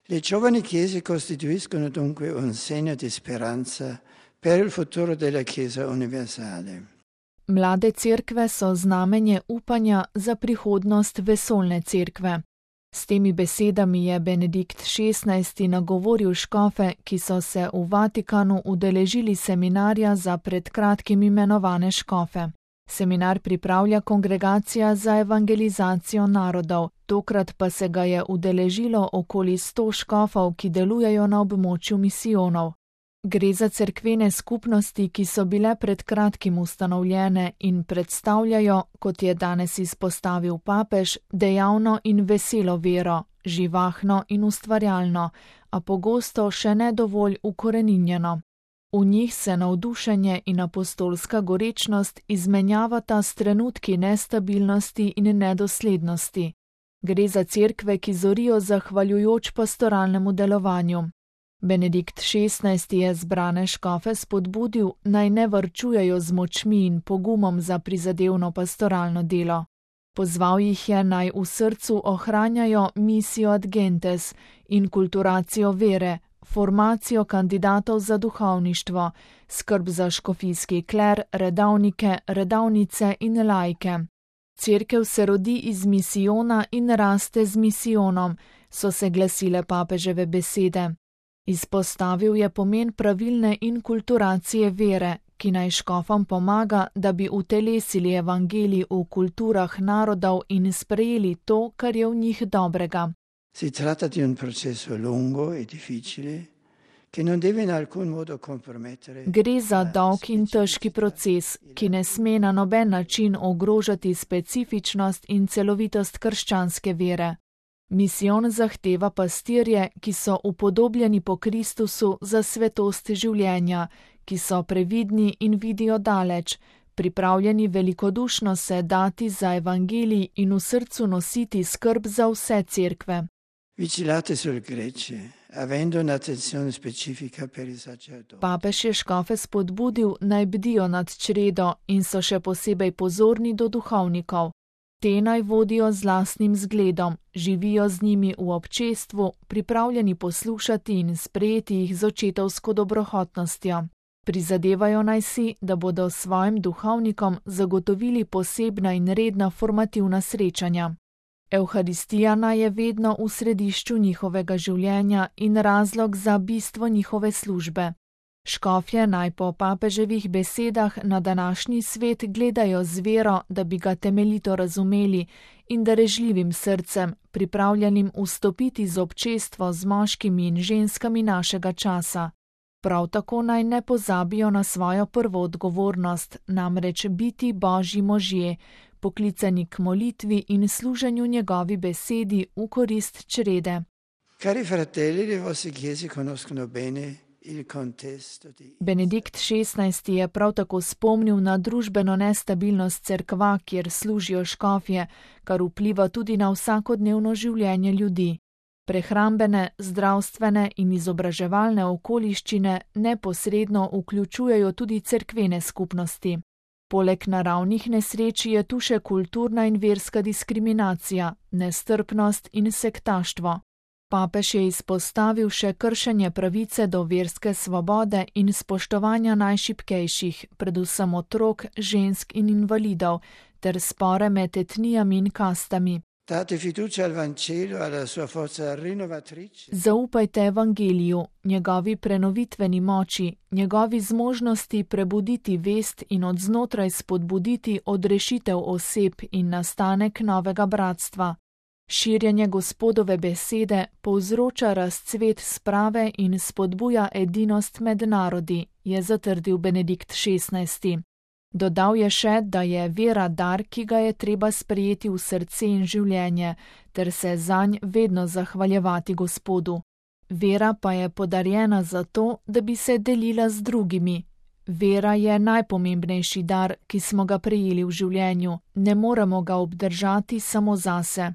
Le giovani chiese costituiscono dunque un segno di speranza per il futuro della Chiesa universale. Mlade cerkve so znamenje upanja za prihodnost vesoljne cerkve. S temi besedami je Benedikt XVI. Nagovoril škofe, ki so se v Vatikanu udeležili seminarja za pred kratkim imenovane škofe. Seminar pripravlja Kongregacija za evangelizacijo narodov, tokrat pa se ga je udeležilo okoli 100 škofov, ki delujejo na območju misijonov. Gre za cerkvene skupnosti, ki so bile pred kratkim ustanovljene in predstavljajo, kot je danes izpostavil papež, dejavno in veselo vero, živahno in ustvarjalno, a pogosto še ne dovolj ukoreninjeno. V njih se navdušenje in apostolska gorečnost izmenjavata s trenutki nestabilnosti in nedoslednosti. Gre za cerkve, ki zorijo zahvaljujoč pastoralnemu delovanju. Benedikt XVI. Je zbrane škofe spodbudil, naj ne varčujejo z močmi in pogumom za prizadevno pastoralno delo. Pozval jih je, naj v srcu ohranjajo misijo ad gentes in kulturacijo vere, formacijo kandidatov za duhovništvo, skrb za škofijski kler, redavnike, redavnice in laike. Cerkev se rodi iz misijona in raste z misijonom, so se glasile papeževe besede. Izpostavil je pomen pravilne inkulturacije vere, ki naj škofom pomaga, da bi utelesili evangelij v kulturah narodov in sprejeli to, kar je v njih dobrega. Si tratta di un processo lungo e difficile, che non deve in alcun modo compromettere. Gre za dolg in težki proces, ki ne sme na noben način ogrožati specifičnost in celovitost krščanske vere. Misijon zahteva pastirje, ki so upodobljeni po Kristusu za svetost življenja, ki so previdni in vidijo daleč, pripravljeni velikodušno se dati za evangelij in v srcu nositi skrb za vse cerkve. Vigilate sul gregge, avendo un'attenzione specifica per i sacerdoti. Papež je škofe spodbudil, naj bdijo nad čredo in so še posebej pozorni do duhovnikov. Te naj vodijo z lastnim zgledom, živijo z njimi v občestvu, pripravljeni poslušati in sprejeti jih z očetovsko dobrohotnostjo. Prizadevajo naj si, da bodo svojim duhovnikom zagotovili posebna in redna formativna srečanja. Evharistija naj je vedno v središču njihovega življenja in razlog za bistvo njihove službe. Škofje naj po papeževih besedah na današnji svet gledajo z vero, da bi ga temeljito razumeli in darežljivim srcem, pripravljenim vstopiti z občestvo z moškimi in ženskami našega časa. Prav tako naj ne pozabijo na svojo prvo odgovornost, namreč biti Božji možje, poklicani k molitvi in služenju njegovi besedi v korist črede. Cari fratelli, le vostre chiese conoscono bene il contesto di... Benedikt XVI. Je prav tako spomnil na družbeno nestabilnost cerkva, kjer služijo škofje, kar vpliva tudi na vsakodnevno življenje ljudi. Prehrambene, zdravstvene in izobraževalne okoliščine neposredno vključujejo tudi cerkvene skupnosti. Poleg naravnih nesreč je tu še kulturna in verska diskriminacija, nestrpnost in sektaštvo. Papež je izpostavil še kršenje pravice do verske svobode in spoštovanja najšibkejših, predvsem otrok, žensk in invalidov, ter spore med etnijami in kastami. Date fiducia al Vangelo, alla sua forza rinnovatrice. Zaupajte evangeliju, njegovi prenovitveni moči, njegovi zmožnosti prebuditi vest in od znotraj spodbuditi odrešitev oseb in nastanek novega bratstva. Širjenje Gospodove besede povzroča razcvet sprave in spodbuja edinost med narodi, je zatrdil Benedikt XVI. Dodal je še, da je vera dar, ki ga je treba sprejeti v srce in življenje, ter se zanj vedno zahvaljevati Gospodu. Vera pa je podarjena zato, da bi se delila z drugimi. Vera je najpomembnejši dar, ki smo ga prejeli v življenju, ne moremo ga obdržati samo zase.